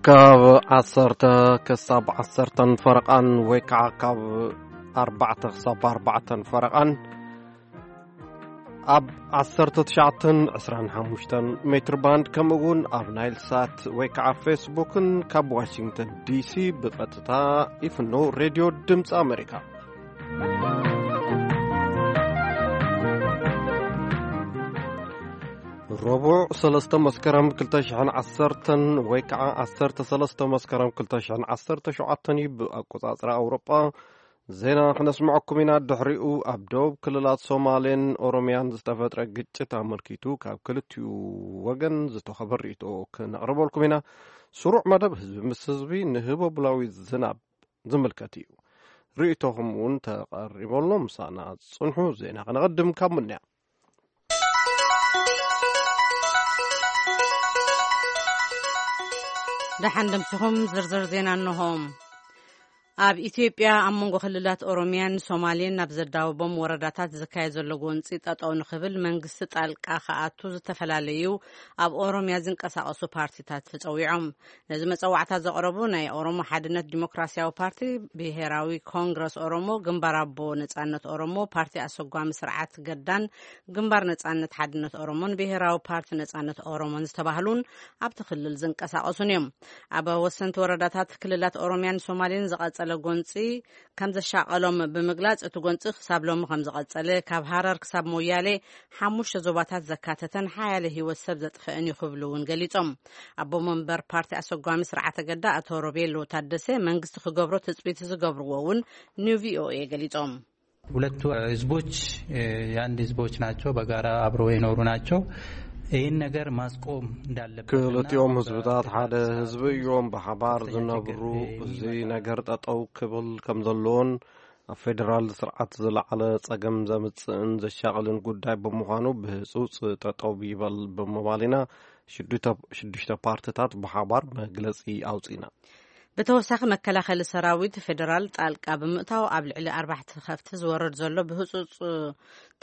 ካብ ዓሰርተ ክሳብ ዓሰርተን ፈረቓን ወይ ከዓ ካብ ኣርባዕተ ክሳብ ኣርባዕተን ፈረቓን ኣብ ዓሰርተ ትሽዓተን ዕስራን ሓሙሽተን ሜትር ባንድ፣ ከምኡ እውን ኣብ ናይል ሳት ወይ ከዓ ፌስቡክን ካብ ዋሽንግተን ዲሲ ብቐጥታ ይፍኖ ሬድዮ ድምፂ ኣሜሪካ። ረቡዕ ሰለስተ መስከረም ክልተ ሽሕን ዓሰርተን ወይ ከዓ ዓሰርተ ሰለስተ መስከረም ክልተ ሽሕን ዓሰርተ ሸውዓተን እዩ ብኣቆጻጽራ ኣውሮጳ። ዜና ክነስምዐኩም ኢና። ድሕሪኡ ኣብ ደቡብ ክልላት ሶማሌን ኦሮሚያን ዝተፈጥረ ግጭት ኣመልኪቱ ካብ ክልቲኡ ወገን ዝተኸበ ርእይቶ ክነቕርበልኩም ኢና። ስሩዕ መደብ ህዝቢ ምስ ህዝቢ ንህቦብላዊ ዝናብ ዝምልከት እዩ። ርእይቶኹም እውን ተቐሪበሎ። ምሳና ጽንሑ። ዜና ከነቐድም ካብ ምንያ። ደሓን ደምሲኹም። ዝርዝር ዜና እንሆ። ኣብ ኢትዮጵያ ኣብ መንጎ ክልላት ኦሮሚያን ሶማሌን ናብ ዘዳወቦም ወረዳታት ዝካየድ ዘሎ ጎንፂ ጠጠው ንኽብል መንግስቲ ጣልቃ ክኣቱ ዝተፈላለዩ ኣብ ኦሮሚያ ዝንቀሳቐሱ ፓርቲታት ተፀዊዖም። ነዚ መፀዋዕታ ዘቕረቡ ናይ ኦሮሞ ሓድነት ዲሞክራሲያዊ ፓርቲ፣ ብሄራዊ ኮንግረስ ኦሮሞ፣ ግንባር ኣቦ ነጻነት ኦሮሞ፣ ፓርቲ ኣሰጓሚ ስርዓት ገዳን ግንባር ነጻነት ሓድነት ኦሮሞን ብሄራዊ ፓርቲ ነጻነት ኦሮሞን ዝተባህሉን ኣብቲ ክልል ዝንቀሳቐሱን እዮም። ኣብ ወሰንቲ ወረዳታት ክልላት ኦሮሚያን ሶማሌን ዝቐጸለ ጎንጺ ከም ዘሻቐሎም ብምግላጽ፣ እቲ ጎንጺ ክሳብ ሎሚ ከም ዝቐጸለ፣ ካብ ሃረር ክሳብ ሞያሌ ሓሙሽተ ዞባታት ዘካተተን ሓያለ ህይወት ሰብ ዘጥፍአን እዩ ክብሉ እውን ገሊጾም። ኣቦ መንበር ፓርቲ ኣሰጓሚ ስርዓተ ገዳ ኣቶ ሮቤሎ ታደሰ መንግስቲ ክገብሮ ትጽቢት ዝገብርዎ እውን ንቪኦኤ ገሊጾም። ሁለቱ ህዝቦች የአንድ ህዝቦች ናቸው። በጋራ አብረው የኖሩ ናቸው። ይህን ነገር ማስቆም እንዳለበት ክልቲኦም ህዝብታት ሓደ ህዝቢ እዮም፣ ብሓባር ዝነብሩ። እዚ ነገር ጠጠው ክብል ከም ዘለዎን ኣብ ፌደራል ስርዓት ዝለዓለ ጸገም ዘምጽእን ዘሻቕልን ጉዳይ ብምዃኑ ብህጹጽ ጠጠው ይበል ብምባል ኢና ሽዱሽተ ፓርትታት ብሓባር መግለጺ ኣውጺና። ብተወሳኺ፣ መከላኸሊ ሰራዊት ፌደራል ጣልቃ ብምእታው ኣብ ልዕሊ ኣርባዕተ ከፍቲ ዝወርድ ዘሎ ብህጹጽ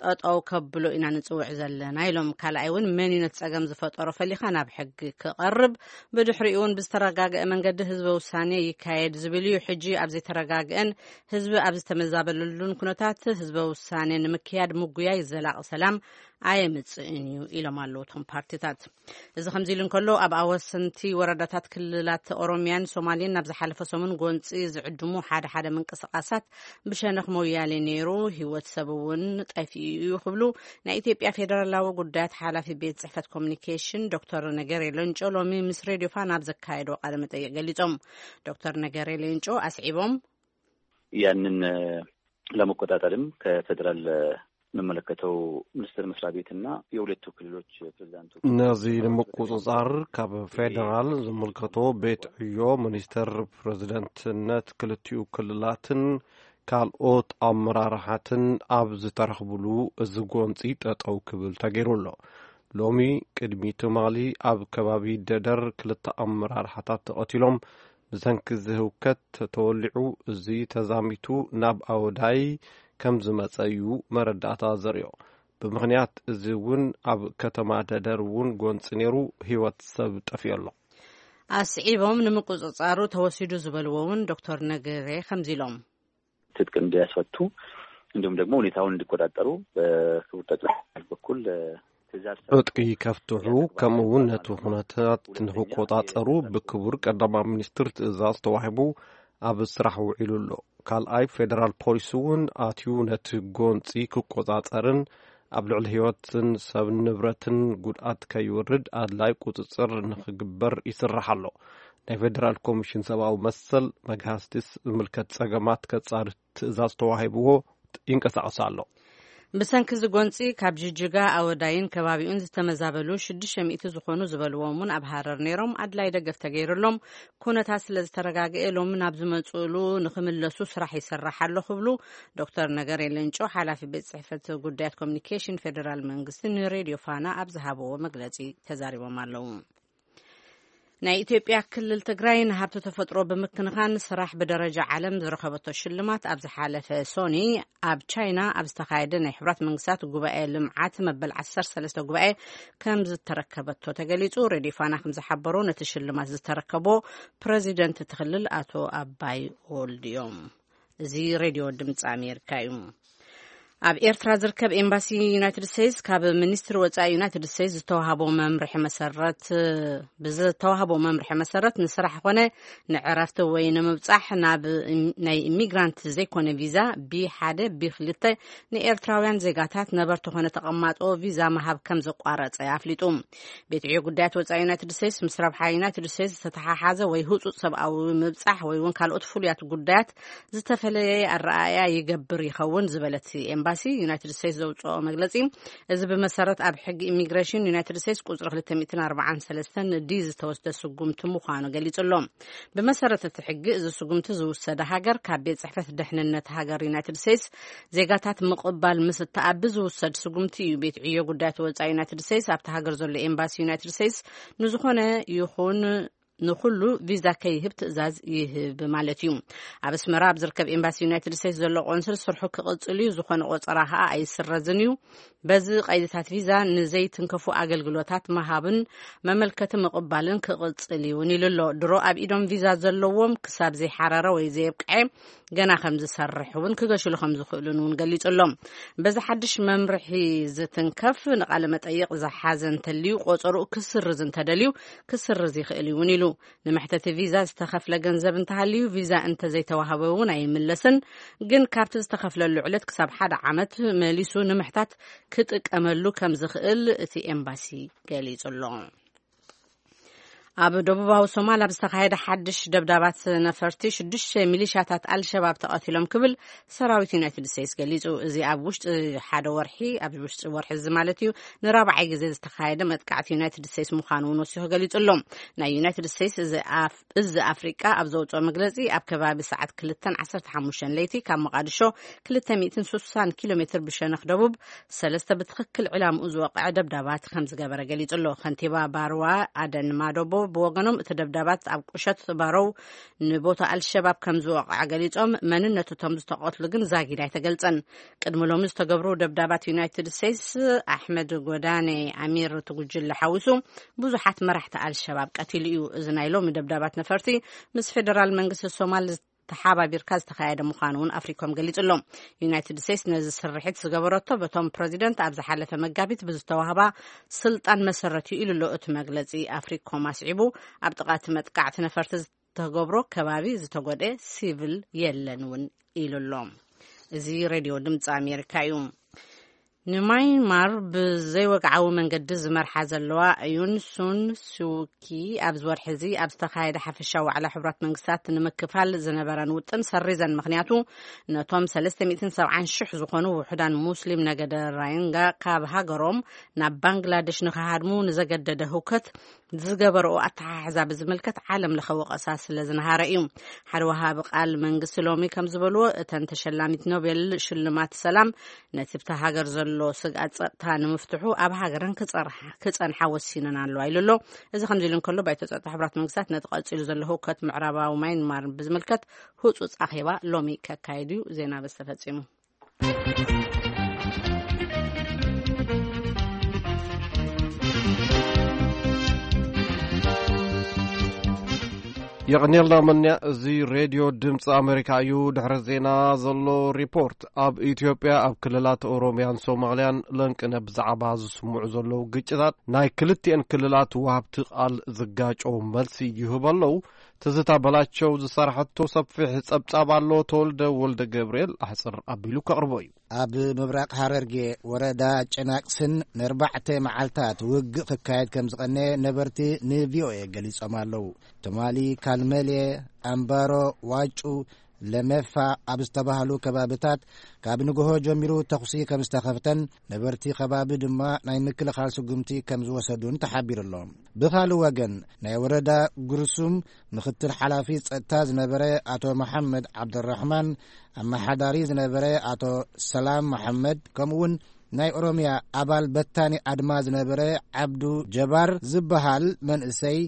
ጠጠው ከብሎ ኢና ንጽውዕ ዘለና ኢሎም። ካልኣይ እውን መን እዩ ነቲ ጸገም ዝፈጠሮ ፈሊኻ ናብ ሕጊ ክቐርብ፣ ብድሕሪኡ እውን ብዝተረጋገአ መንገዲ ህዝበ ውሳኔ ይካየድ ዝብል እዩ። ሕጂ ኣብ ዘይተረጋገአን ህዝቢ ኣብ ዝተመዛበለሉን ኩነታት ህዝበ ውሳኔ ንምክያድ ምጉያይ ዘላቒ ሰላም ኣየምጽእን እዩ ኢሎም ኣለዉ እቶም ፓርቲታት። እዚ ከምዚ ኢሉ እንከሎ፣ ኣብ ኣወሰንቲ ወረዳታት ክልላት ኦሮሚያን ሶማሌን ናብ ዝሓለፈ ሰሙን ጎንፂ ዝዕድሙ ሓደ ሓደ ምንቅስቃሳት ብሸነኽ ሞያሌ ነይሩ፣ ህይወት ሰብ እውን ጠፊኡ እዩ ክብሉ ናይ ኢትዮጵያ ፌደራላዊ ጉዳያት ሓላፊ ቤት ጽሕፈት ኮሚኒኬሽን ዶክተር ነገሬ ለንጮ ሎሚ ምስ ሬድዮ ፋና ኣብ ዘካየዶ ቃለ መጠይቅ ገሊጾም። ዶክተር ነገሬ ሌንጮ ኣስዒቦም፣ ያንን ለመቆጣጠርም ከፌደራል የሚመለከተው ሚኒስቴር መስሪያ ቤትና የሁለቱ ክልሎች ፕሬዚዳንቶች ነዚ ንምቁፅፃር ካብ ፌደራል ዝምልከቶ ቤት ዕዮ ሚኒስቴር ፕሬዚደንትነት ክልቲኡ ክልላትን ካልኦት ኣመራርሓትን ኣብ ዝተረኽብሉ እዚ ጎንፂ ጠጠው ክብል ተገይሩ ኣሎ። ሎሚ ቅድሚ ትማሊ ኣብ ከባቢ ደደር ክልተ ኣመራርሓታት ተቐቲሎም። ብሰንኪ እዚ ህውከት ተወሊዑ እዚ ተዛሚቱ ናብ ኣወዳይ ከም ዝመጸ እዩ መረዳእታ ዘርእዮ። ብምኽንያት እዚ እውን ኣብ ከተማ ደደር እውን ጎንፂ ነይሩ፣ ህይወት ሰብ ጠፊኡ ኣሎ። ኣስዒቦም ንምቁፅፃሩ ተወሲዱ ዝበልዎ እውን ዶክተር ነገሬ ከምዚ ኢሎም። ትጥቅ እንዲያስፈቱ እንዲሁም ደግሞ ሁኔታውን እንዲቆጣጠሩ በክቡር ጠቅላይ ሚኒስትር በኩል ትእዛዝ ትጥቂ ከፍትሑ ከምኡ እውን ነቲ ኩነታት ንክቆጻጸሩ ብክቡር ቀዳማይ ሚኒስትር ትእዛዝ ተዋሂቡ ኣብ ስራሕ ውዒሉ ኣሎ። ካልኣይ ፌደራል ፖሊስ እውን ኣትዩ ነቲ ጎንጺ ክቆጻጸርን ኣብ ልዕሊ ህይወትን ሰብ ንብረትን ጉድኣት ከይወርድ ኣድላይ ቁጽጽር ንክግበር ይስራሕ ኣሎ። ናይ ፌደራል ኮሚሽን ሰብኣዊ መሰል መግሃስቲ ዝምልከት ጸገማት ከጻሪ ትእዛዝ ተዋሂብዎ ይንቀሳቐስ ኣሎ። ብሰንኪ እዚ ጎንጺ ካብ ጅጅጋ ኣወዳይን ከባቢኡን ዝተመዛበሉ ሽዱሽተ ሚእቲ ዝኾኑ ዝበልዎም እውን ኣብ ሃረር ነይሮም ኣድላይ ደገፍ ተገይሩሎም ኩነታት ስለ ዝተረጋገኤ ሎሚ ናብ ዝመጽእሉ ንክምለሱ ስራሕ ይሰራሕ ኣሎ ክብሉ ዶክተር ነገሬ ሌንጮ ሓላፊ ቤት ጽሕፈት ጉዳያት ኮሚኒኬሽን ፌደራል መንግስቲ ንሬድዮ ፋና ኣብ ዝሃብዎ መግለጺ ተዛሪቦም ኣለዉ። ናይ ኢትዮጵያ ክልል ትግራይ ንሃብቲ ተፈጥሮ ብምክንኻን ስራሕ ብደረጃ ዓለም ዝረኸበቶ ሽልማት ኣብ ዝሓለፈ ሶኒ ኣብ ቻይና ኣብ ዝተኻየደ ናይ ሕብራት መንግስታት ጉባኤ ልምዓት መበል ዓሰርተ ሰለስተ ጉባኤ ከም ዝተረከበቶ ተገሊጹ። ሬድዮ ፋና ከም ዝሓበሮ ነቲ ሽልማት ዝተረከቦ ፕሬዚደንት እቲ ክልል ኣቶ ኣባይ ወልድዮም። እዚ ሬድዮ ድምፂ ኣሜሪካ እዩ። ኣብ ኤርትራ ዝርከብ ኤምባሲ ዩናይትድ ስቴትስ ካብ ሚኒስትሪ ወፃኢ ዩናይትድ ስቴትስ ዝተዋህቦ መምርሒ መሰረት ብዝተዋህቦ መምርሒ መሰረት ንስራሕ ኮነ ንዕረፍቲ ወይ ንምብፃሕ ናብ ናይ ኢሚግራንት ዘይኮነ ቪዛ ቢ ሓደ ቢ ክልተ ንኤርትራውያን ዜጋታት ነበርቲ ኮነ ተቐማጦ ቪዛ ምሃብ ከም ዘቋረፀ ኣፍሊጡ። ቤት ዕዮ ጉዳያት ወፃኢ ዩናይትድ ስቴትስ ምስ ረብሓ ዩናይትድ ስቴትስ ዝተተሓሓዘ ወይ ህፁፅ ሰብኣዊ ምብፃሕ ወይ እውን ካልኦት ፍሉያት ጉዳያት ዝተፈለየ ኣረኣእያ ይገብር ይኸውን ዝበለት ኤምባሲ ዩናይትድ ስቴትስ ዘውፅኦ መግለፂ፣ እዚ ብመሰረት ኣብ ሕጊ ኢሚግሬሽን ዩናይትድ ስቴትስ ቁፅሪ ክልተ ሚእትን ኣርባዓን ሰለስተን ዲ ዝተወስደ ስጉምቲ ምዃኑ ገሊጹ ኣሎ። ብመሰረት እቲ ሕጊ፣ እዚ ስጉምቲ ዝውሰደ ሃገር ካብ ቤት ጽሕፈት ደሕንነት ሃገር ዩናይትድ ስቴትስ ዜጋታት ምቕባል ምስ እተኣቢ ዝውሰድ ስጉምቲ እዩ። ቤት ዕዮ ጉዳያት ወጻኢ ዩናይትድ ስቴትስ ኣብቲ ሃገር ዘሎ ኤምባሲ ዩናይትድ ስቴትስ ንዝኾነ ይኹን ንኹሉ ቪዛ ከይህብ ትእዛዝ ይህብ ማለት እዩ። ኣብ ኣስመራ ኣብ ዝርከብ ኤምባሲ ዩናይትድ ስቴትስ ዘሎ ቆንስል ስርሑ ክቕጽል እዩ፣ ዝኾነ ቆጸራ ከኣ ኣይስረዝን እዩ። በዚ ቀይድታት ቪዛ ንዘይትንከፉ ኣገልግሎታት ምሃብን መመልከቲ ምቕባልን ክቕጽል እዩ እውን ኢሉ ኣሎ። ድሮ ኣብ ኢዶም ቪዛ ዘለዎም ክሳብ ዘይሓረረ ወይ ዘየብቅዐ ገና ከም ዝሰርሕ እውን ክገሽሉ ከም ዝኽእሉን እውን ገሊጹ ኣሎ። በዚ ሓድሽ መምርሒ ዝትንከፍ ንቃለ መጠይቕ ዝሓዘ እንተልዩ ቆጸርኡ ክስርዝ እንተደልዩ ክስርዝ ይኽእል እውን ኢሉ። ንመሕተቲ ቪዛ ዝተኸፍለ ገንዘብ እንተሃልዩ ቪዛ እንተዘይተዋህበ እውን ኣይምለስን፣ ግን ካብቲ ዝተኸፍለሉ ዕለት ክሳብ ሓደ ዓመት መሊሱ ንምሕታት ክጥቀመሉ ከም ዝኽእል እቲ ኤምባሲ ገሊጹ ኣሎ። ኣብ ደቡባዊ ሶማል ኣብ ዝተኻየደ ሓድሽ ደብዳባት ነፈርቲ ሽዱሽተ ሚሊሻታት ኣልሸባብ ተቐቲሎም ክብል ሰራዊት ዩናይትድ ስቴትስ ገሊጹ። እዚ ኣብ ውሽጢ ሓደ ወርሒ፣ ኣብ ውሽጢ ወርሒ እዚ ማለት እዩ፣ ንራብዓይ ግዜ ዝተኻየደ መጥቃዕቲ ዩናይትድ ስቴትስ ምዃኑ እውን ወሲኹ ገሊጹ ኣሎ። ናይ ዩናይትድ ስቴትስ እዚ ኣፍ-፣ እዚ ኣፍሪቃ ኣብ ዘውፅኦ መግለፂ፣ ኣብ ከባቢ ሰዓት ክልተን ዓሰርተ ሓሙሽተን ለይቲ ካብ መቓድሾ ክልተ ሚእትን ስሳን ኪሎ ሜትር ብሸነኽ ደቡብ ሰለስተ ብትኽክል ዕላምኡ ዝወቕዐ ደብዳባት ከም ዝገበረ ገሊጹ ኣሎ። ከንቲባ ባርዋ ኣደን ማዶቦ ብወገኖም፣ እቲ ደብዳባት ኣብ ቁሸት ባሮው ንቦታ ኣልሸባብ ከም ዝወቕዐ ገሊጾም፣ መንነቱ እቶም ዝተቐትሉ ግን ዛጊድ ኣይተገልጸን። ቅድሚ ሎሚ ዝተገብሩ ደብዳባት ዩናይትድ ስቴትስ ኣሕመድ ጎዳኔ ኣሚር እቲ ጉጅለ ሓዊሱ ብዙሓት መራሕቲ ኣልሸባብ ቀቲሉ እዩ። እዚ ናይ ሎሚ ደብዳባት ነፈርቲ ምስ ፌደራል መንግስቲ ሶማል ተሓባቢርካ ዝተኻየደ ምዃኑ እውን ኣፍሪኮም ገሊጹ ኣሎ። ዩናይትድ ስቴትስ ነዚ ስርሒት ዝገበረቶ በቶም ፕረዚደንት ኣብ ዝሓለፈ መጋቢት ብዝተዋህባ ስልጣን መሰረት እዩ ኢሉ ኣሎ እቲ መግለጺ ኣፍሪኮም ኣስዒቡ። ኣብ ጥቓ እቲ መጥቃዕቲ ነፈርቲ ዝተገብሮ ከባቢ ዝተጎድኤ ሲቪል የለን እውን ኢሉ ኣሎ። እዚ ሬድዮ ድምፂ ኣሜሪካ እዩ። ንማይንማር ብዘይወግዓዊ መንገዲ ዝመርሓ ዘለዋ ዩን ሱን ሱኪ ኣብዚ ወርሒ እዚ ኣብ ዝተኻየደ ሓፈሻዊ ዋዕላ ሕቡራት መንግስታት ንምክፋል ዝነበረን ውጥን ሰሪዘን። ምኽንያቱ ነቶም ሰለስተ ሚእትን ሰብዓን ሽሕ ዝኾኑ ውሑዳን ሙስሊም ነገደ ራይንጋ ካብ ሃገሮም ናብ ባንግላደሽ ንክሃድሙ ንዘገደደ ህውከት ዝገበረኦ ኣተሓሕዛ ብዝምልከት ዓለም ለኸ ወቐሳ ስለ ዝነሃረ እዩ። ሓደ ወሃቢ ቃል መንግስቲ ሎሚ ከም ዝበልዎ፣ እተን ተሸላሚት ኖቤል ሽልማት ሰላም ነቲ ብታ ሃገር ዘሎ ስግኣት ጸጥታ ንምፍትሑ ኣብ ሃገረን ክጸርሓ-፣ ክጸንሓ ወሲነን ኣለዋ ኢሉ ኣሎ። እዚ ከምዚ ኢሉ እንከሎ፣ ባይቶ ጸጥታ ሕቡራት መንግስታት ነቲ ቀጺሉ ዘሎ ህውከት ምዕራባዊ ማይንማር ብዝምልከት ህጹጽ ኣኼባ ሎሚ ከካይድ እዩ። ዜና በዚ ተፈጺሙ። የቕንየልና መንያ፣ እዚ ሬድዮ ድምፂ ኣሜሪካ እዩ። ድሕሪ ዜና ዘሎ ሪፖርት። ኣብ ኢትዮጵያ ኣብ ክልላት ኦሮሚያን ሶማልያን ለንቅነ ብዛዕባ ዝስምዑ ዘለዉ ግጭታት ናይ ክልቲኤን ክልላት ወሃብቲ ቃል ዝጋጨው መልሲ ይህቡ ኣለዉ። ትዝታ በላቸው ዝሰራሐቶ ሰፊሕ ጸብጻብ ኣሎ። ተወልደ ወልደ ገብርኤል ኣሕጽር ኣቢሉ ከቕርቦ እዩ። ኣብ ምብራቕ ሃረርጌ ወረዳ ጨናቅስን ንኣርባዕተ መዓልታት ውግእ ክካየድ ከም ዝቐነየ ነበርቲ ንቪኦኤ ገሊጾም ኣለዉ። ትማሊ ካልመሌ፣ ኣምባሮ፣ ዋጩ፣ ለመፋ ኣብ ዝተባህሉ ከባብታት ካብ ንግሆ ጀሚሩ ተኹሲ ከም ዝተኸፍተን ነበርቲ ከባቢ ድማ ናይ ምክልኻል ስጉምቲ ከም ዝወሰዱን ተሓቢሩ ኣሎ። ብኻልእ ወገን ናይ ወረዳ ጉርሱም ምኽትል ሓላፊ ጸጥታ ዝነበረ ኣቶ መሓመድ ዓብደራሕማን፣ ኣመሓዳሪ ዝነበረ ኣቶ ሰላም መሓመድ፣ ከምኡውን ናይ ኦሮምያ ኣባል በታኒ ኣድማ ዝነበረ ዓብዱ ጀባር ዝበሃል መንእሰይ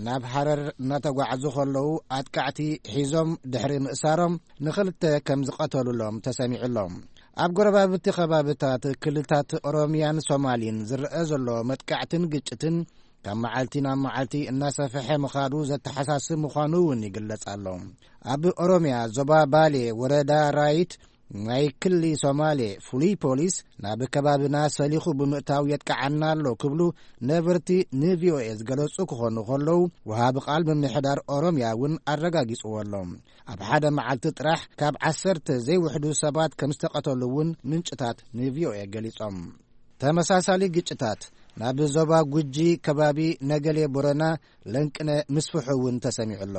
ናብ ሃረር እናተጓዓዙ ከለዉ ኣጥቃዕቲ ሒዞም ድሕሪ ምእሳሮም ንኽልተ ከም ዝቐተሉሎም ተሰሚዑ ኣሎ። ኣብ ጎረባብቲ ከባብታት ክልታት ኦሮምያን ሶማሊን ዝረአ ዘሎ መጥቃዕትን ግጭትን ካብ መዓልቲ ናብ መዓልቲ እናሰፍሐ ምኻዱ ዘተሓሳስብ ምዃኑ እውን ይግለጽ ኣሎ። ኣብ ኦሮምያ ዞባ ባሌ ወረዳ ራይት ናይ ክሊ ሶማሌ ፍሉይ ፖሊስ ናብ ከባብና ሰሊኹ ብምእታው የጥቅዓና ኣሎ ክብሉ ነበርቲ ንቪኦኤ ዝገለጹ ክኾኑ ከለዉ፣ ወሃቢ ቃል ምምሕዳር ኦሮምያ እውን ኣረጋጊጽዎ ኣሎ። ኣብ ሓደ መዓልቲ ጥራሕ ካብ ዓሰርተ ዘይውሕዱ ሰባት ከም ዝተቐተሉ እውን ምንጭታት ንቪኦኤ ገሊጾም። ተመሳሳሊ ግጭታት ናብ ዞባ ጉጂ ከባቢ ነገሌ ቦረና ለንቅነ ምስፍሑ እውን ተሰሚዑ ኣሎ።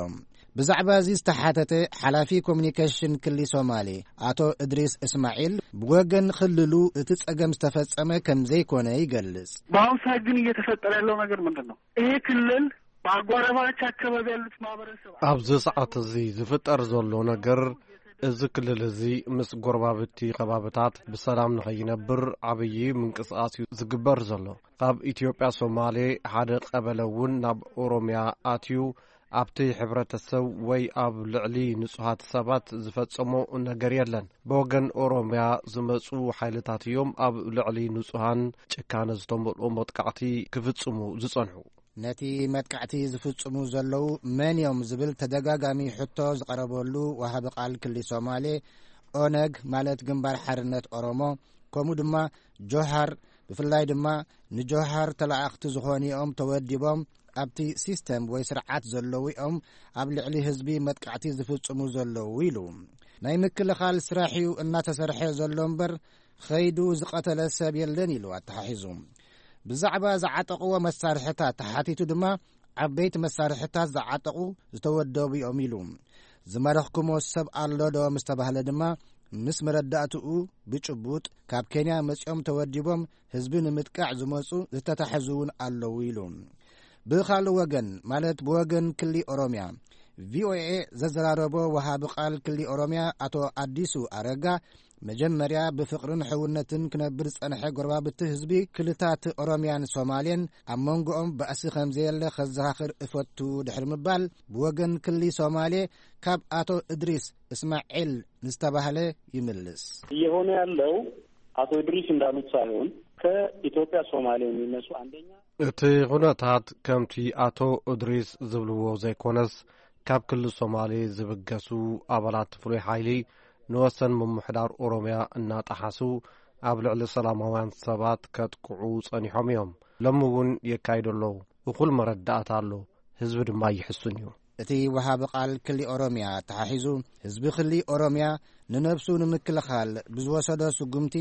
ብዛዕባ እዚ ዝተሓተተ ሓላፊ ኮሚኒኬሽን ክሊ ሶማሌ ኣቶ እድሪስ እስማዒል፣ ብወገን ክልሉ እቲ ጸገም ዝተፈጸመ ከም ዘይኮነ ይገልጽ። በአሁኑ ሰዓት ግን እየተፈጠረ ያለው ነገር ምንድን ነው? ይሄ ክልል በአጎራባች አካባቢ ያሉት ማህበረሰብ ኣብዚ ሰዓት እዚ ዝፍጠር ዘሎ ነገር፣ እዚ ክልል እዚ ምስ ጎረባብቲ ከባብታት ብሰላም ንኸይነብር ዓብዪ ምንቅስቓስ እዩ ዝግበር ዘሎ። ካብ ኢትዮጵያ ሶማሌ ሓደ ቀበለ እውን ናብ ኦሮምያ ኣትዩ ኣብቲ ሕብረተሰብ ወይ ኣብ ልዕሊ ንጹሃት ሰባት ዝፈጸሞ ነገር የለን። ብወገን ኦሮምያ ዝመጹ ሓይልታት እዮም ኣብ ልዕሊ ንጹሃን ጭካነ ዝተመልኦ መጥቃዕቲ ክፍጽሙ ዝጸንሑ። ነቲ መጥቃዕቲ ዝፍጽሙ ዘለዉ መን እዮም ዝብል ተደጋጋሚ ሕቶ ዝቐረበሉ ወሃቢ ቃል ክሊ ሶማሌ፣ ኦነግ ማለት ግንባር ሓርነት ኦሮሞ፣ ከምኡ ድማ ጆሃር፣ ብፍላይ ድማ ንጆሃር ተላኣኽቲ ዝኾኑ እዮም ተወዲቦም ኣብቲ ሲስተም ወይ ስርዓት ዘለዉ እዮም ኣብ ልዕሊ ህዝቢ መጥቃዕቲ ዝፍጽሙ ዘለዉ ኢሉ። ናይ ምክልኻል ስራሕ እዩ እናተሰርሐ ዘሎ እምበር ኸይዱ ዝቐተለ ሰብ የለን ኢሉ ኣተሓሒዙ። ብዛዕባ ዝዓጠቕዎ መሳርሕታት ተሓቲቱ ድማ፣ ዓበይቲ መሳርሕታት ዝዓጠቑ ዝተወደቡ እዮም ኢሉ። ዝማረኽኩሞ ሰብ ኣሎ ዶ ምስ ተባህለ ድማ፣ ምስ መረዳእትኡ ብጭቡጥ ካብ ኬንያ መጺኦም ተወዲቦም ህዝቢ ንምጥቃዕ ዝመጹ ዝተታሕዙ እውን ኣለዉ ኢሉ። ብኻልእ ወገን፣ ማለት ብወገን ክሊ ኦሮምያ፣ ቪኦኤ ዘዘራረቦ ወሃቢ ቃል ክሊ ኦሮምያ ኣቶ ኣዲሱ ኣረጋ፣ መጀመርያ ብፍቕርን ሕውነትን ክነብር ዝጸንሐ ጎረባብቲ ህዝቢ ክልታት ኦሮምያን ሶማሌን ኣብ መንጎኦም ባእሲ ከም ዘየለ ከዘኻኽር እፈቱ ድሕሪ ምባል፣ ብወገን ክሊ ሶማሌ ካብ ኣቶ እድሪስ እስማዒል ንዝተባህለ ይምልስ። እየሆነ ያለው አቶ እድሪስ እንዳሉት ሳይሆን ከኢትዮጵያ ሶማሌ የሚነሱ አንደኛ እቲ ኩነታት ከምቲ ኣቶ እድሪስ ዝብልዎ ዘይኮነስ፣ ካብ ክልል ሶማሌ ዝብገሱ ኣባላት ፍሉይ ሓይሊ ንወሰን ምምሕዳር ኦሮምያ እናጠሓሱ ኣብ ልዕሊ ሰላማውያን ሰባት ከጥቅዑ ጸኒሖም እዮም። ሎሚ እውን የካይዱ ኣለዉ። እኹል መረዳእታ ኣሎ። ህዝቢ ድማ ይሕሱን እዩ። እቲ ወሃቢ ቃል ክሊ ኦሮምያ ተሓሒዙ፣ ህዝቢ ክሊ ኦሮምያ ንነብሱ ንምክልኻል ብዝወሰዶ ስጉምቲ፣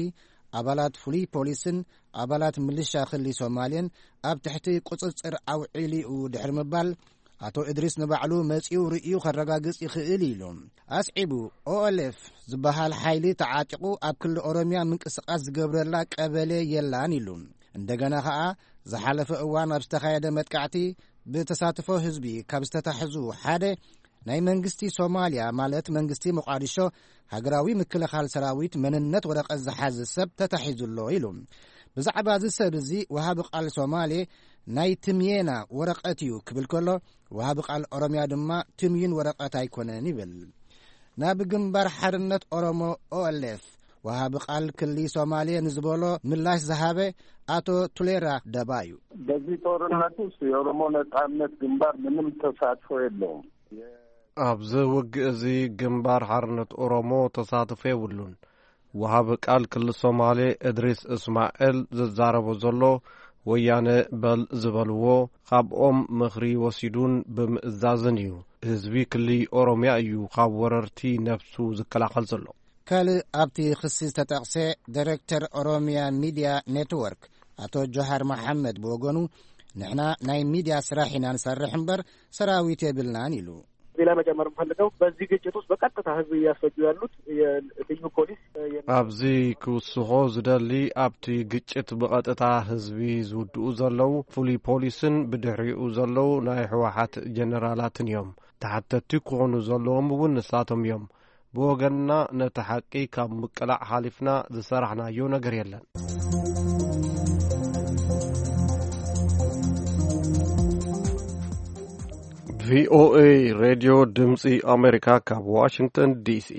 ኣባላት ፍሉይ ፖሊስን ኣባላት ምልሻ ክሊ ሶማሌን ኣብ ትሕቲ ቁጽጽር ኣውዒሉ'ዩ ድሕሪ ምባል፣ ኣቶ እድሪስ ንባዕሉ መጺኡ ርእዩ ከረጋግጽ ይኽእል ኢሉ። ኣስዒቡ፣ ኦኤልኤፍ ዝበሃል ሓይሊ ተዓጢቑ ኣብ ክሊ ኦሮምያ ምንቅስቓስ ዝገብረላ ቀበሌ የላን ኢሉ። እንደገና ኸኣ፣ ዝሓለፈ እዋን ኣብ ዝተኻየደ መጥቃዕቲ ብተሳትፎ ህዝቢ ካብ ዝተታሕዙ ሓደ፣ ናይ መንግስቲ ሶማልያ፣ ማለት መንግስቲ ሞቃዲሾ፣ ሃገራዊ ምክልኻል ሰራዊት መንነት ወረቐት ዝሓዘ ሰብ ተታሒዙ ኣሎ ኢሉ። ብዛዕባ እዚ ሰብ እዚ ወሃቢ ቃል ሶማሌ፣ ናይ ትምየና ወረቐት እዩ ክብል ከሎ፣ ወሃቢ ቃል ኦሮምያ ድማ ትምዩን ወረቐት ኣይኮነን ይብል። ናብ ግንባር ሓርነት ኦሮሞ፣ ኦኤልኤፍ፣ ወሃቢ ቃል ክሊ ሶማሌ ንዝበሎ ምላሽ ዝሃበ ኣቶ ቱሌራ ደባ እዩ። በዚህ ጦርነት ውስጥ የኦሮሞ ነጻነት ግንባር ምንም ተሳትፎ የለውም። ኣብዚ ውግእ እዚ ግንባር ሓርነት ኦሮሞ ተሳትፎ የብሉን። ወሃቢ ቃል ክሊ ሶማሌ እድሪስ እስማኤል ዝዛረቦ ዘሎ፣ ወያነ በል ዝበልዎ፣ ካብኦም ምኽሪ ወሲዱን ብምእዛዝን እዩ። ህዝቢ ክሊ ኦሮምያ እዩ ካብ ወረርቲ ነብሱ ዝከላኸል ዘሎ። ካልእ ኣብቲ ክሲ ዝተጠቕሰ፣ ዳይሬክተር ኦሮምያ ሚድያ ኔትወርክ ኣቶ ጆሃር መሓመድ ብወገኑ፣ ንሕና ናይ ሚድያ ስራሕ ኢና ንሰርሕ እምበር ሰራዊት የብልናን ኢሉ። ሌላ መጨመር የምፈልገው፣ በዚህ ግጭት ውስጥ በቀጥታ ህዝብ እያስፈጁ ያሉት የልዩ ፖሊስ፣ የ- ኣብዚ ክውስኾ ዝደሊ፣ ኣብቲ ግጭት ብቐጥታ ህዝቢ ዝውድኡ ዘለዉ ፍሉይ ፖሊስን ብድሕሪኡ ዘለዉ ናይ ህወሓት ጀነራላትን እዮም። ተሓተቲ ክኾኑ ዘለዎም እውን ንሳቶም እዮም። ብወገንና ነቲ ሓቂ ካብ ምቅላዕ ሓሊፍና ዝሰራሕናዮ ነገር የለን። ቪኦኤ ሬድዮ ድምፂ ኣሜሪካ ካብ ዋሽንግተን ዲሲ።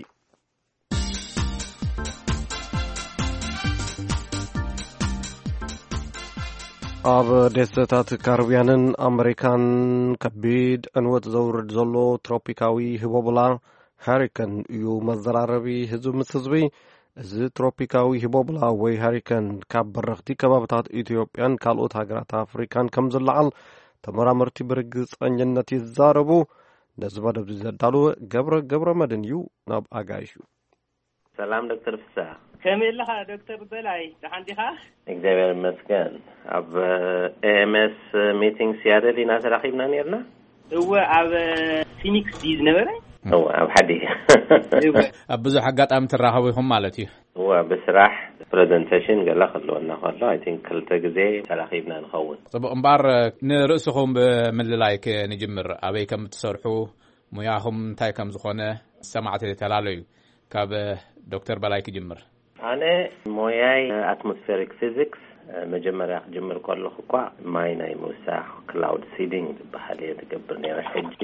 ኣብ ደሴታት ካሪብያንን ኣመሪካን ከቢድ ዕንወት ዘውርድ ዘሎ ትሮፒካዊ ህቦብላ ሃሪከን እዩ መዘራረቢ ህዝቢ ምስ ህዝቢ። እዚ ትሮፒካዊ ህቦብላ ወይ ሃሪከን ካብ በረኽቲ ከባብታት ኢትዮጵያን ካልኦት ሃገራት ኣፍሪካን ከም ዝለዓል ተመራመርቲ ብርግፀኝነት ይዛረቡ። ነዚ መደብ እዚ ዘዳለወ ገብረ ገብረ መድን እዩ። ናብ ኣጋይሹ። ሰላም ዶክተር ፍስሐ። ከመይ ኣለኻ ዶክተር በላይ? ደሓን ዲኻ? እግዚኣብሔር ይመስገን። ኣብ ኤምኤስ ሚቲንግ ሲያትል ኢና ተራኺብና ነርና። እወ፣ ኣብ ፊኒክስ ድዩ ዝነበረ? እወ፣ ኣብ ሓዲ። እወ። ኣብ ብዙሕ ኣጋጣሚ ትራኸቡ ኢኹም ማለት እዩ። እወ፣ ብስራሕ ፕሬዘንቴሽን ገለ ክህልወና ከሎ፣ ኣይ ቲንክ ክልተ ግዜ ተራኺብና ንኸውን። ጽቡቕ። እምበኣር ንርእስኹም ብምልላይ ክንጅምር፣ ኣበይ ከም እትሰርሑ፣ ሙያኹም እንታይ ከም ዝኾነ ሰማዕቲ ተላለዩ። ካብ ዶክተር በላይ ክጅምር። ኣነ ሞያይ ኣትሞስፌሪክ ፊዚክስ። መጀመርያ ክጅምር ከለኹ እኳ ማይ ናይ ምውሳኽ ክላውድ ሲዲንግ ዝበሃል እየ ዝገብር ነይረ። ሕጂ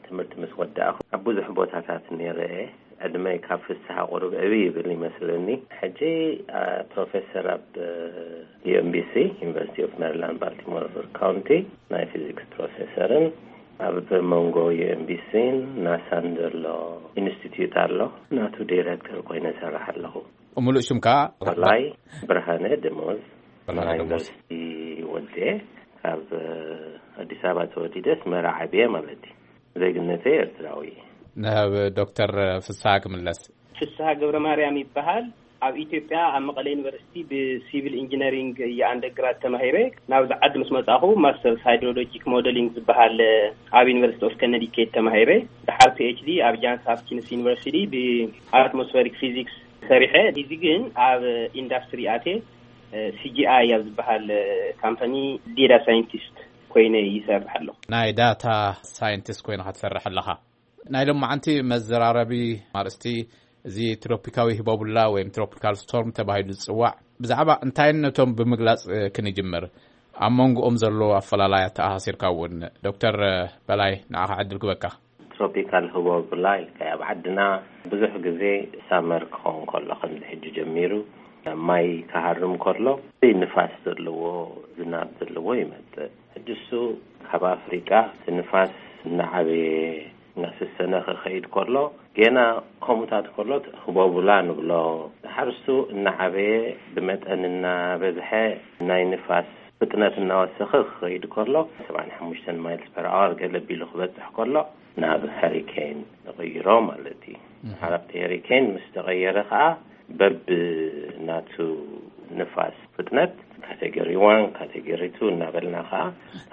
ትምህርቲ ምስ ወዳእኹ ኣብ ብዙሕ ቦታታት ነይረ እየ። ዕድመይ ካብ ፍስሃ ቁሩብ ዕብይ ይብል ይመስለኒ። ሕጂ ፕሮፌሰር ኣብ ዩኤምቢሲ፣ ዩኒቨርሲቲ ኦፍ ሜሪላንድ ባልቲሞር ካውንቲ፣ ናይ ፊዚክስ ፕሮፌሰርን ኣብ መንጎ ዩኤምቢሲን ናሳን ዘሎ ኢንስቲትዩት ኣሎ፣ ናቱ ዲሬክተር ኮይነ እሰርሕ ኣለኹ። ሙሉእ ሽምካ? በላይ ብርሃነ ደሞዝ። ብርሃነ ደሞዝ። ዩኒቨርሲቲ ወዴ፣ ካብ ኣዲስ ኣበባ ተወሊደ ኣስመራ ዓብየ ማለት እዩ። ዜግነተይ ኤርትራዊ። ንህብ ዶክተር ፍስሃ ክምለስ። ፍስሃ ገብረ ማርያም ይበሃል። ኣብ ኢትዮጵያ ኣብ መቐለ ዩኒቨርሲቲ ብሲቪል ኢንጂነሪንግ እየ ኣንደርግራድ ተማሂረ። ናብዚ ዓዲ ምስ መጻኹ ማስተርስ ሃይድሮሎጂክ ሞደሊንግ ዝበሃል ኣብ ዩኒቨርሲቲ ኦፍ ከነዲኬት ተማሂረ። ድሓር ፒኤችዲ ኣብ ጃንስ ሀፕኪንስ ዩኒቨርሲቲ ብኣትሞስፌሪክ ፊዚክስ ሰሪሐ። እዚ ግን ኣብ ኢንዳስትሪ ኣትየ፣ ሲጂኣይ ኣብ ዝበሃል ካምፓኒ ዴታ ሳይንቲስት ኮይነ ይሰርሕ ኣለኹ። ናይ ዳታ ሳይንቲስት ኮይንካ ትሰርሕ ኣለኻ። ናይ ሎማዓንቲ መዘራረቢ ኣርእስቲ እዚ ትሮፒካዊ ህቦቡላ ወይም ትሮፒካል ስቶርም ተባሂሉ ዝጽዋዕ፣ ብዛዕባ እንታይነቶም ብምግላጽ ክንጅምር፣ ኣብ መንጎኦም ዘሎ ኣፈላላይ ኣተኣሳሲርካ እውን። ዶክተር በላይ፣ ንዓኻ ዕድል ክበካ። ትሮፒካል ህቦብላ ኢልካ፣ ኣብ ዓድና ብዙሕ ግዜ ሳመር ክኸውን ከሎ፣ ከምዚ ሕጂ ጀሚሩ፣ ማይ ክሃርም ከሎ ንፋስ ዘለዎ፣ ዝናብ ዘለዎ ይመጽእ። ሕጂ እሱ ካብ ኣፍሪቃ እቲ ንፋስ እናዓበየ እናሰሰነ ክኸይድ ከሎ፣ ገና ከምኡታት ከሎ ህቦቡላ ንብሎ። ድሓር እሱ እናዓበየ ብመጠን እናበዝሐ ናይ ንፋስ ፍጥነት እናወሰኸ ክኸይድ ከሎ፣ ሰብዓን ሓሙሽተን ማይልስ ፐር ኣወር ገለ ቢሉ ክበጽሕ ከሎ፣ ናብ ሄሪኬን ንቕይሮ ማለት እዩ። እህ። ድሓር ኣብቲ ሄሪኬን ምስ ተቐየረ ኸዓ፣ በብ ናቱ ንፋስ ፍጥነት ካቴጎሪ ዋን፣ ካቴጎሪ ቱ እናበልና ኸዓ፣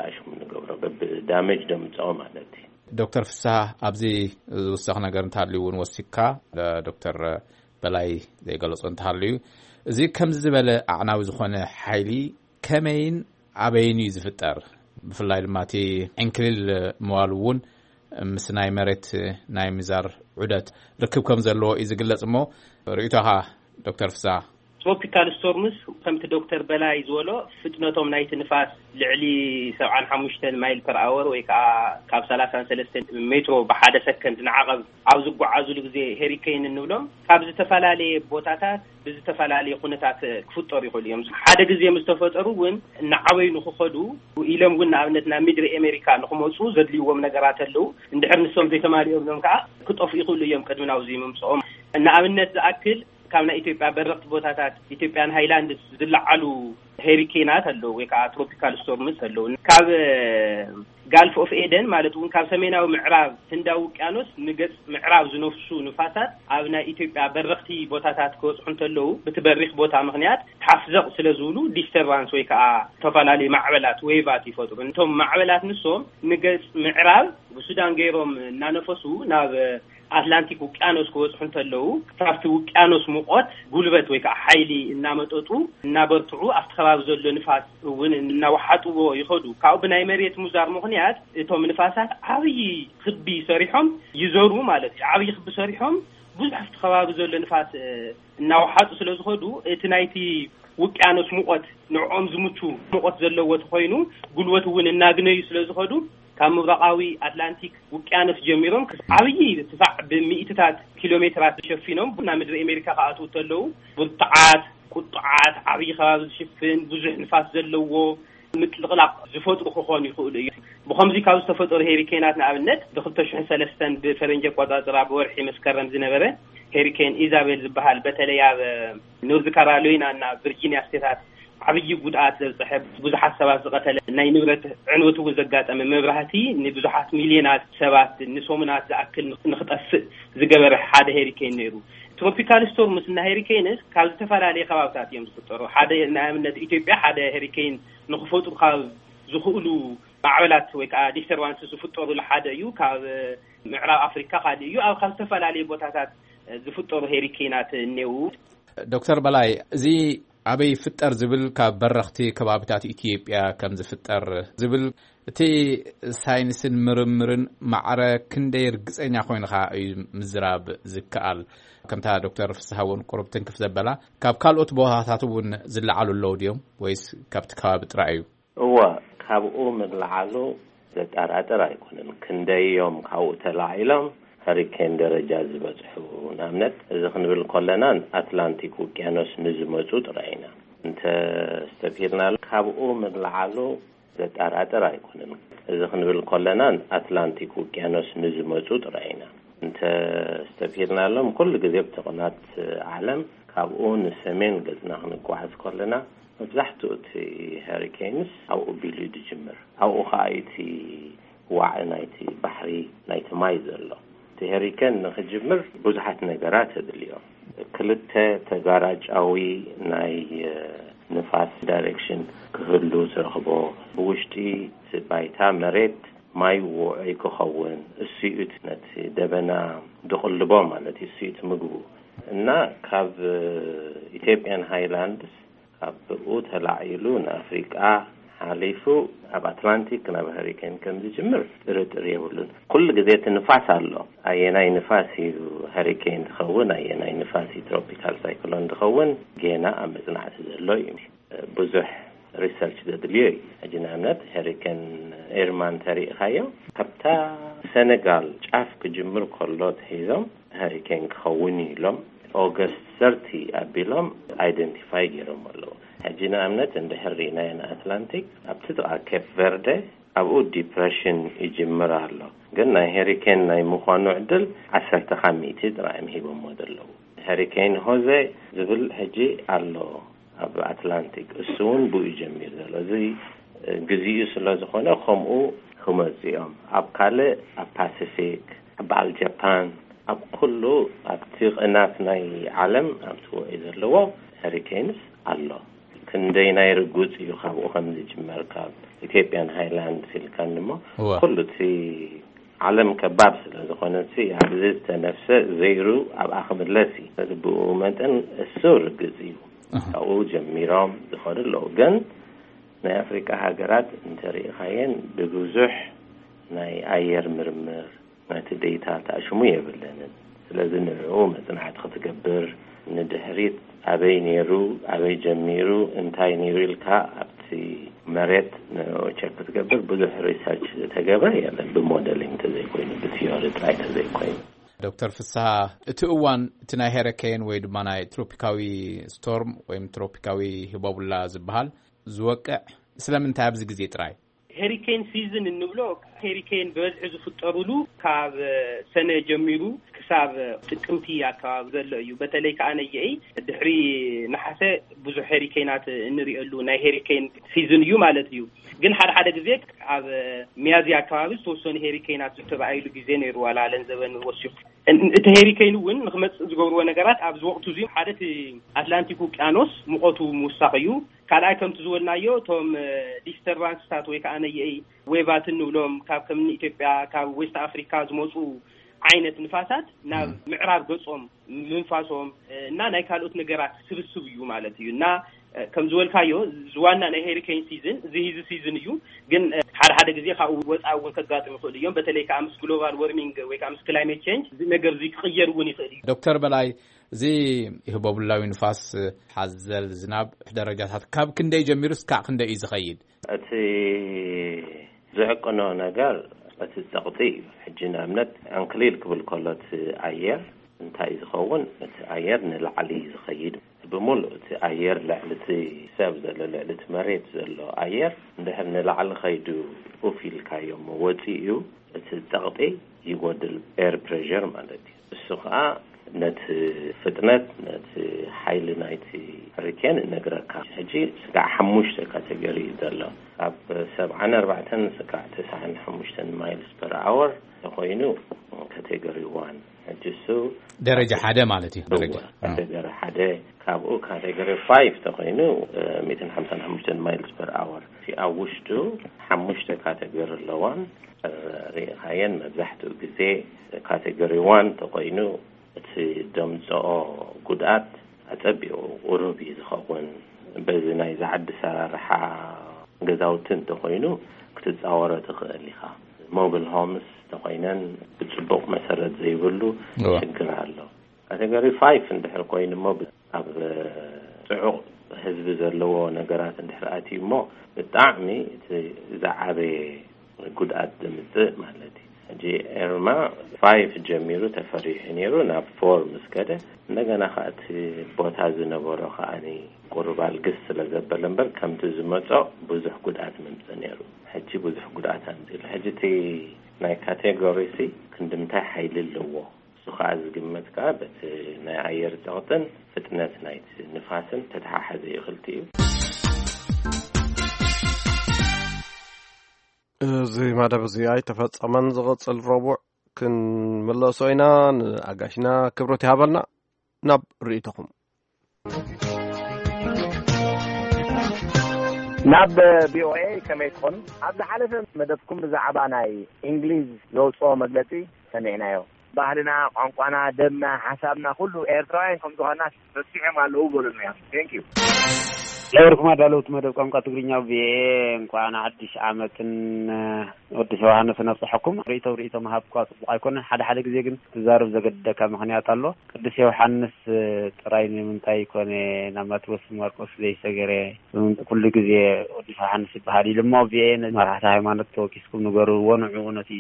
ኣሽሙ ንገብሮ፣ በብ ዳሜጅ ደምጽኦ ማለት እዩ። ዶክተር ፍስሃ፣ ኣብዚ ዝውሰኽ ነገር እንተሃልዩ እውን ወሲኽካ፣ ዶክተር በላይ ዘይገለጾ እንተሃልዩ፣ እዚ ከምዚ ዝበለ ኣዕናዊ ዝኾነ ሓይሊ ከመይን ኣበይን እዩ ዝፍጠር? ብፍላይ ድማ እቲ ዕንክሊል ምባሉ እውን ምስ ናይ መሬት ናይ ምዛር ዑደት ርክብ ከም ዘለዎ እዩ ዝግለጽ። እሞ ርእይቶኻ ዶክተር ፍስሃ? ትሮፒካል ስቶርምስ፣ ከምቲ ዶክተር በላይ ዝበሎ፣ ፍጥነቶም ናይቲ ንፋስ ልዕሊ ሰብዓን ሓሙሽተን ማይል ፐር ኣወር፣ ወይ ከዓ ካብ ሰላሳን ሰለስተን ሜትሮ ብሓደ ሰከንድ ንዓቐብ ኣብ ዝጓዓዙሉ ግዜ ሄሪኬን እንብሎም፣ ካብ ዝተፈላለየ ቦታታት ብዝተፈላለየ ኩነታት ክፍጠሩ ይኽእሉ እዮም። ሓደ ግዜ ምስ ተፈጠሩ እውን እናዓበዩ ንክኸዱ ኢሎም እውን፣ ንኣብነት ናብ ምድሪ ኣሜሪካ ንክመፁ ዘድልይዎም ነገራት ኣለዉ። እንድሕር ንሶም ዘይተማሊኦም እዮም ከዓ ክጠፍኡ ይኽእሉ እዮም ቅድሚ ናብዚ ምምፅኦም። ንኣብነት ዝኣክል፣ ካብ ናይ ኢትዮጵያ በረኽቲ ቦታታት፣ ኢትዮጵያን ሃይላንድስ ዝለዓሉ ሄሪኬናት ኣለዉ፣ ወይ ከዓ ትሮፒካል ስቶርምስ ኣለዉ። ካብ ጋልፍ ኦፍ ኤደን፣ ማለት እውን ካብ ሰሜናዊ ምዕራብ ህንዳዊ ውቅያኖስ ንገጽ ምዕራብ ዝነፍሱ ንፋሳት፣ ኣብ ናይ ኢትዮጵያ በረኽቲ ቦታታት ክበጽሑ እንተለዉ፣ ብቲ በሪኽ ቦታ ምኽንያት ሓፍዘቕ ስለ ዝብሉ፣ ዲስተርባንስ ወይ ከዓ ዝተፈላለዩ ማዕበላት፣ ዌቫት ይፈጥሩ። እቶም ማዕበላት ንሶም ንገጽ ምዕራብ ብሱዳን ገይሮም እናነፈሱ ናብ ኣትላንቲክ ውቅያኖስ ክበጽሑ እንተለዉ፣ ካብቲ ውቅያኖስ ሙቐት ጉልበት ወይ ከዓ ሓይሊ እናመጠጡ፣ እናበርትዑ፣ ኣብቲ ከባቢ ዘሎ ንፋስ እውን እናወሓጥዎ ይኸዱ። ካብኡ ብናይ መሬት ምዛር ምኽንያት እቶም ንፋሳት ዓብዪ ክቢ ሰሪሖም ይዘሩ ማለት እዩ። ዓብዪ ክቢ ሰሪሖም ብዙሕ ኣብቲ ከባቢ ዘሎ ንፋስ እናወሓጡ ስለ ዝኸዱ፣ እቲ ናይቲ ውቅያኖስ ሙቐት ንዕኦም ዝምቹ ሙቐት ዘለዎ ተኮይኑ፣ ጉልበት እውን እናግነዩ ስለ ዝኸዱ፣ ካብ ምብራቓዊ ኣትላንቲክ ውቅያኖስ ጀሚሮም ዓብዪ ርትፋዕ ብሚእትታት ኪሎ ሜትራት ሸፊኖም ናብ ምድሪ ኣሜሪካ ክኣትዉ እንተለዉ፣ ብርቱዓት፣ ቁጡዓት፣ ዓብዪ ከባቢ ዝሽፍን፣ ብዙሕ ንፋስ ዘለዎ ምጥልቕላቕ ዝፈጥሩ ክኾኑ ይኽእሉ እዩ። ብኸምዚ ካብ ዝተፈጠሩ ሄሪኬናት፣ ንኣብነት፣ ብ2003 ብፈረንጂ ኣቆጻጽራ ብወርሒ መስከረም ዝነበረ ሄሪኬን ኢዛቤል ዝበሃል፣ በተለይ ኣብ ኖርዝ ካሮላይና እና ቪርጂኒያ ስቴታት ዓብዪ ጉድኣት ዘብፀሐ፣ ብዙሓት ሰባት ዝቐተለ፣ ናይ ንብረት ዕንወት እውን ዘጋጠመ፣ መብራህቲ ንብዙሓት ሚልዮናት ሰባት ንሰሙናት ዝኣክል ንኽ- ንኽጠፍእ ዝገበረ ሓደ ሄሪኬን ነይሩ። ትሮፒካል ስቶርምስ እና ሄሪኬንስ ካብ ዝተፈላለየ ከባብታት እዮም ዝፍጠሩ። ሓደ ንኣብነት ኢትዮጵያ ሓደ ሄሪኬን ንኽፈጥሩ ካብ ዝኽእሉ ማዕበላት ወይ ከዓ ዲስተርባንስ ዝፍጠሩሉ ሓደ እዩ። ካብ ምዕራብ ኣፍሪካ ካልእ እዩ። ኣብ ካብ ዝተፈላለየ ቦታታት ዝፍጠሩ ሄሪኬናት እኔው። ዶክተር በላይ፣ እዚ ኣበይ ይፍጠር ዝብል ካብ በረኽቲ ከባብታት ኢትዮጵያ ከም ዝፍጠር ዝብል እቲ ሳይንስን ምርምርን ማዕረ ክንደይ ርግፀኛ ኮይንኻ እዩ ምዝራብ ዝከኣል? ከምታ ዶክተር ፍስሃ እውን ቁሩብ ትንክፍ ዘበላ፣ ካብ ካልኦት ቦታታት እውን ዝለዓሉ ኣለዉ ድዮም ወይስ ካብቲ ከባቢ ጥራይ እዩ? እወ፣ ካብኡ ምልዓሉ ዘጠራጥር ኣይኮነን። ክንደይ እዮም ካብኡ ተላዒሎም ሀሪኬን ደረጃ ዝበፅሑ? ንኣብነት፣ እዚ ክንብል ከለና ኣትላንቲክ ውቅያኖስ ንዝመፁ ጥራይ ኢና እንተ ኣስተብሂልና፣ ካብኡ ምልዓሉ ዘጠራጥር ኣይኮነን። እዚ ክንብል ከለና ኣትላንቲክ ውቅያኖስ ንዝመፁ ጥራይ ኢና እንተ ኣስተብሂልናሎም። ኩሉ ግዜ ብተቑናት ዓለም ካብኡ ንሰሜን ገፅና ክንጓዓዝ ከለና፣ መብዛሕትኡ እቲ ሄሪኬንስ ኣብኡ ቢሉ እዩ ዝጅምር። ኣብኡ ከዓ እቲ ዋዒ ናይቲ ባሕሪ፣ ናይቲ ማይ ዘሎ። እቲ ሄሪኬን ንክጅምር ብዙሓት ነገራት የድልዮ። ክልተ ተጋራጫዊ ናይ ንፋስ ዳይሬክሽን ክህሉ ትረኽቦ። ብውሽጢ እቲ ባይታ መሬት ማይ ውዑይ ክኸውን፣ እሱ እዩ ነቲ ደበና ድቕልቦ ማለት እዩ፣ እሱ እዩ ምግቡ። እና ካብ ኢትዮጵያን ሃይላንድስ ካብኡ ተላዒሉ ንኣፍሪቃ ሓሊፉ ኣብ ኣትላንቲክ ናብ ሀሪኬን ከም ዝጅምር ጥርጥር የብሉን። ኩሉ ግዜ እቲ ንፋስ ኣሎ። ኣየናይ ንፋስ እዩ ሀሪኬን ዝኸውን፣ ኣየናይ ንፋስ እዩ ትሮፒካል ሳይክሎን ዝኸውን፣ ጌና ኣብ መጽናዕቲ ዘሎ እዩ። ብዙሕ ሪሰርች ዘድልዮ እዩ። ሕጂ ንኣብነት ሄሪኬን ኤርማ እንተሪእኻዮ፣ ካብታ ሰነጋል ጫፍ ክጅምር ከሎ ተሒዞም ሄሪኬን ክኸውን እዩ ኢሎም ኦገስት ሰርቲ ኣቢሎም ኣይደንቲፋይ ገይሮም ኣለዉ። ሕጂ ንኣብነት እንድሕር ርኢናዮ ንኣትላንቲክ፣ ኣብቲ ጥቓ ኬፕ ቨርደ፣ ኣብኡ ዲፕረሽን ይጅምር ኣሎ። ግን ናይ ሄሪኬን ናይ ምዃኑ ዕድል ዓሰርተ ካብ ሚእቲ ጥራይ እዮም ሂቦሞ ዘለዉ። ሄሪኬን ሆዜ ዝብል ሕጂ ኣሎ ኣብ ኣትላንቲክ፣ እሱ እውን ብኡ ጀሚሩ ዘሎ። እዚ ግዜኡ ስለ ዝኾነ ከምኡ ክመፁ እዮም። ኣብ ካልእ፣ ኣብ ፓሲፊክ፣ ኣብ በዓል ጃፓን፣ ኣብ ኩሉ ኣብቲ ቅናት ናይ ዓለም ኣብቲ ውዑይ ዘለዎ ሄሪኬንስ ኣሎ። ክንደይ ናይ ርጉፅ እዩ ካብኡ ከም ዝጅመር፣ ካብ ኢትዮጵያን ሃይላንድ ሲልካን እሞ እወ። ኩሉ እቲ ዓለም ከባብ ስለ ዝኾነ፣ እቲ ኣብዚ ዝተነፍሰ ዘይሩ ኣብኣ ክምለስ እዩ። ስለዚ ብኡ መጠን እሱ ርግፅ እዩ። ኣሃ። ካብኡ ጀሚሮም ዝኸዱ ኣለዉ። ግን ናይ ኣፍሪቃ ሃገራት እንተሪኢኻየን ብብዙሕ ናይ ኣየር ምርምር ናይቲ ዴታ ተኣሽሙ የብለንን። ስለዚ ንዕኡ መጽናዕቲ ክትገብር፣ ንድሕሪት ኣበይ ነይሩ፣ ኣበይ ጀሚሩ፣ እንታይ ነይሩ ኢልካ ኣብቲ መሬት ንዕኡ ቸክ ክትገብር ብዙሕ ሪሰርች ዝተገበረ የለን፣ ብሞደሊንግ ተዘይኮይኑ፣ ብቲዮሪ ጥራይ ተዘይኮይኑ። ዶክተር ፍስሃ፣ እቲ እዋን እቲ ናይ ሄሪኬን ወይ ድማ ናይ ትሮፒካዊ ስቶርም ወይም ትሮፒካዊ ህቦቡላ ዝበሃል ዝወቅዕ ስለምንታይ ኣብዚ ግዜ ጥራይ? ሄሪኬን ሲዝን እንብሎ፣ ሄሪኬን ብበዝሒ ዝፍጠሩሉ ካብ ሰነ ጀሚሩ ክሳብ ጥቅምቲ ኣከባቢ ዘሎ እዩ። በተለይ ከዓ ነየኢ ድሕሪ ነሓሰ ብዙሕ ሄሪኬናት እንሪኤሉ ናይ ሄሪኬን ሲዝን እዩ ማለት እዩ። ግን ሓደ ሓደ ግዜ ኣብ ሚያዝያ ኣከባቢ ዝተወሰኑ ሄሪኬናት ዝተረኣዩሉ ግዜ ነይሩ፣ ዋላ ለንዘበን ወሲኹ። እን-፣ እቲ ሄሪኬን እውን ንክመፅእ ዝገብርዎ ነገራት ኣብዚ ወቅቱ እዚ ሓደ እቲ ኣትላንቲክ ውቅያኖስ ሙቐቱ ምውሳኽ እዩ። ካልኣይ ከምቲ ዝበልናዮ እቶም እ፣ ዲስተርባንስታት ወይ ከዓ ነየኢ ዌቫት እንብሎም ካብ ከም ኢትዮጵያ ካብ ዌስት ኣፍሪካ ዝመፁ ዓይነት ንፋሳት ናብ ምዕራብ ገፆም ምንፋሶም እ፣ እና ናይ ካልኦት ነገራት ስብስብ እዩ ማለት እዩ። እና እ፣ ከም ዝበልካዮ ዝዋና ናይ ሄሪኬን ሲዝን እዚ ሂዚ ሲዝን እዩ። ግን እ፣ ሓደ ሓደ ግዜ ካብኡ ወፃኢ እውን ከጋጥም ይኽእሉ እዮም። በተለይ ከዓ ምስ ግሎባል ወርሚንግ ወይ ከዓ ምስ ክላይሜት ቼንጅ እዚ ነገር እዚ ክቕየር እውን ይኽእል እዩ። ዶክተር በላይ፣ እዚ ህቦብላዊ ንፋስ ሓዘል ዝናብ ደረጃታት ካብ ክንደይ ጀሚሩ እስካዕ ክንደይ እዩ ዝኸይድ? እቲ ዝዕቅኖ ነገር እቲ ፀቕጢ እዩ። ሕጂ ንኣብነት ዕንክሊል ክብል ከሎ እቲ ኣየር እንታይ እዩ ዝኸውን? እቲ ኣየር ንላዕሊ እዩ ዝኸይድ። ብምሉእ እቲ ኣየር ልዕሊ እቲ ሰብ ዘሎ፣ ልዕሊ እቲ መሬት ዘሎ ኣየር እንድሕር ንላዕሊ ከይዱ ኡፍ ኢልካዮ እሞ ወፂኡ እዩ፣ እቲ ፀቕጢ ይጎድል፣ ኤር ፕሬር ማለት እዩ። እሱ ከዓ ነቲ ፍጥነት፣ ነቲ ሓይሊ ናይቲ ሪኬን እነግረካ። ሕጂ ስጋዕ ሓሙሽተ ካቴጎሪ እዩ ዘሎ። ካብ ሰብዓን ኣርባዕተን ስጋዕ ተስዓን ሓሙሽተን ማይልስ ፐር ኣወር ተኮይኑ ካቴጎሪ ዋን። ሕጂ እሱ ደረጃ ሓደ ማለት እዩ። ደረጃ እወ፣ ካቴጎሪ ሓደ። ካብኡ ካቴጎሪ ፋይቭ ተኮይኑ ሚእትን ሓምሳን ሓሙሽተን ማይልስ ፐር ኣወር። እቲ ኣብ ውሽጡ ሓሙሽተ ካቴጎሪ ኣለዋን፣ ርኢኻየን። መብዛሕትኡ ግዜ ካቴጎሪ ዋን ተኮይኑ እቲ ደምፅኦ ጉድኣት ኣፀቢቑ ቁሩብ እዩ ዝኸውን። በዚ ናይ ዝዓዲ ሰራርሓ ገዛውቲ እንተኮይኑ ክትፃወሮ ትኽእል ኢኻ። ሞብል ሆምስ ተኮይነን ብፅቡቕ መሰረት ዘይብሉ እዋ። ሽግር ኣሎ። ካቴጎሪ ፋይቭ እንድሕር ኮይኑ እሞ ብ-፣ ኣብ ፅዑቕ ህዝቢ ዘለዎ ነገራት እንድሕር ኣትዩ እሞ ብጣዕሚ እቲ ዝዓበየ ጉድኣት ዘምፅእ ማለት እዩ። ሕጂ ኤርማ ፋይቭ ጀሚሩ ተፈሪሑ ነይሩ፣ ናብ ፎር ምስ ከደ እንደገና ከዓ እቲ ቦታ ዝነበሮ ከዓኒ ቁሩብ ኣልግስ ስለ ዘበለ እምበር ከምቲ ዝመፆ ብዙሕ ጉድኣት መምፅእ ነይሩ። ሕጂ ብዙሕ ጉድኣት ኣምፂሉ። ሕጂ እቲ ናይ ካቴጎሪ ሲ ክንዲ ምንታይ ሓይሊ ኣለዎ? እሱ ከዓ ዝግመት ከዓ በቲ ናይ ኣየር ፀቕጥን ፍጥነት ናይቲ ንፋስን ተተሓሓዘ እዩ ክልቲኡ። እዚ መደብ እዚ ኣይተፈጸመን። ዝቕጽል ረቡዕ ክንምለሶ ኢና። ንኣጋሽና ክብረት ይሃበልና። ናብ ርእይቶኹም። ናብ ቪኦኤ ከመይ ትኾኑ? ኣብ ዝሓለፈ መደብኩም ብዛዕባ ናይ እንግሊዝ ዘውፅኦ መግለፂ ሰሚዕናዮ። ባህልና፣ ቋንቋና፣ ደምና፣ ሓሳብና ኩሉ ኤርትራውያን ከም ዝኾንና ረሲዖም ኣለዉ በሉና እዮም። Thank you። ለበርኩም ኣዳለውቲ መደብ ቋንቋ ትግርኛ ቪኦኤ፣ እንኳዕ ንሓድሽ ዓመትን ወዲ ዮሃንስን ኣብፀሐኩም። ርእይቶ ርእይቶ ምሃብ እኳ ፅቡቕ ኣይኮነን። ሓደ ሓደ ግዜ ግን ትዛረብ ዘገድደካ ምኽንያት ኣሎ። ቅዱስ ዮሃንስ ጥራይ ንምንታይ ኮነ ናብ ማቴዎስ ማርቆስ ዘይሰገረ? ኩሉ ግዜ ቅዱስ ዮሃንስ ይበሃል ኢሉ እሞ ቪኦኤ መራሕቲ ሃይማኖት ተወኪስኩም ንገርዎ፣ ንዕኡ ነቲ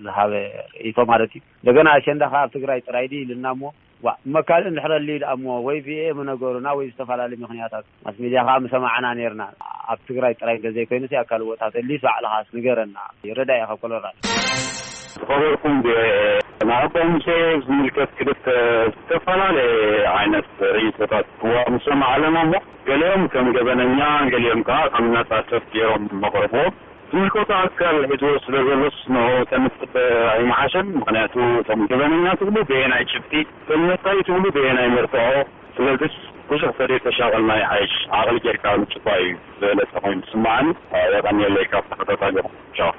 ዝሃበ ርእይቶ ማለት እዩ። እንደገና ኣሸንዳ ከኣ ኣብ ትግራይ ጥራይ ድዩ ኢልና እሞ፣ ዋ፣ እሞ ካልእ እንድሕር ኣልዩ ደኣ እሞ ወይ ቪኦኤ ምነገሩና ወይ ዝተፈላለዩ ምኽንያታት ማስ ሚድያ ከኣ ምሰማዕና ነይርና። ኣብ ትግራይ ጥራይ እንተዘይኮይኑ ኣብ ካልእ ቦታት ኣልዩስ ባዕልኻስ ንገረና። ይረዳእ ኢኻ ኮሎራዶ። ዝኸበርኩም ቪኦኤ፣ ንኣቦ ሙሴ ዝምልከት ክልተ ዝተፈላለየ ዓይነት ርእይቶታት እዋ ምሰማዕ ኣለና እሞ፣ ገሊኦም ከም ገበነኛ፣ ገሊኦም ከኣ ከም ነጻ ሰብ ገይሮም መቕርቦ። ዝምልከቶ ኣካል ሒዝዎ ስለ ዘሎስ ንኡ ተንፍጥ ኣይምሓሸን። ምኽንያቱ እቶም ገበነኛ ትብሉ ብየናይ ጭብጢ፣ እቶም ነጻ እዩ ትብሉ ብየናይ መርትዖ። ስለዚስ ብዙሕ ተደይ ተሻቐልና ይሓይሽ፣ ዓቕሊ ጌርካ ምጭፋ እዩ ዝበለጸ ኮይኑ ዝስምዓኒ። የቐንየለይ ካብ ተኸታታሊኹም። ቻው።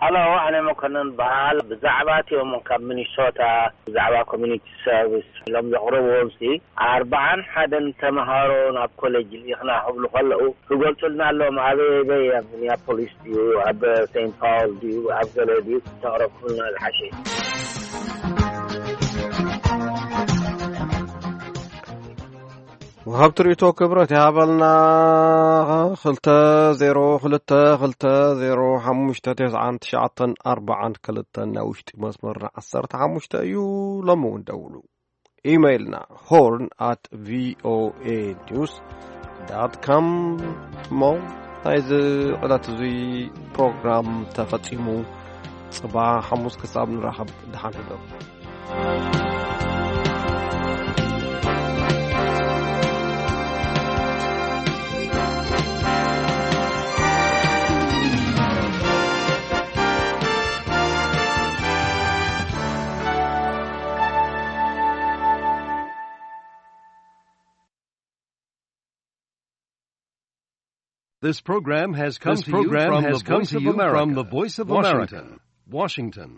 ሃሎ፣ ኣነ መኮነን በሃል። ብዛዕባ እቲኦም ካብ ሚኒሶታ ብዛዕባ ኮሚኒቲ ሰርቪስ ኢሎም ዘቕረብዎም ሲ ኣርባዓን ሓደን ተምሃሮ ናብ ኮሌጅ ልኢኽና ክብሉ ከለዉ ክገልጹልና ኣለዎም። ኣበይ ኣበይ? ኣብ ሚኒያፖሊስ ድዩ፣ ኣብ ሴንት ፓውል ድዩ፣ ኣብ ገለ ድዩ? ተቕረብኩምና ዝሓሸ እዩ። ወሃብቲ ርእይቶ ክብረት ይሃበልና። ክልተ ዜሮ ክልተ ክልተ ዜሮ ሓሙሽተ ተስዓን ትሽዓተን ኣርባዓን ክልተን ናይ ውሽጢ መስመርና ዓሰርተ ሓሙሽተ እዩ። ሎሚ እውን ደውሉ። ኢሜይልና ሆርን ኣት ቪኦኤ ኒውስ ዳት ካም። እሞ ናይዚ ዕለት እዚ ፕሮግራም ተፈጺሙ። ጽባሕ ሓሙስ ክሳብ ንራኸብ፣ ደሓን ሕደሩ። This program has come This to you program from has the come Voice to of you America, from the Voice of Washington. America, Washington.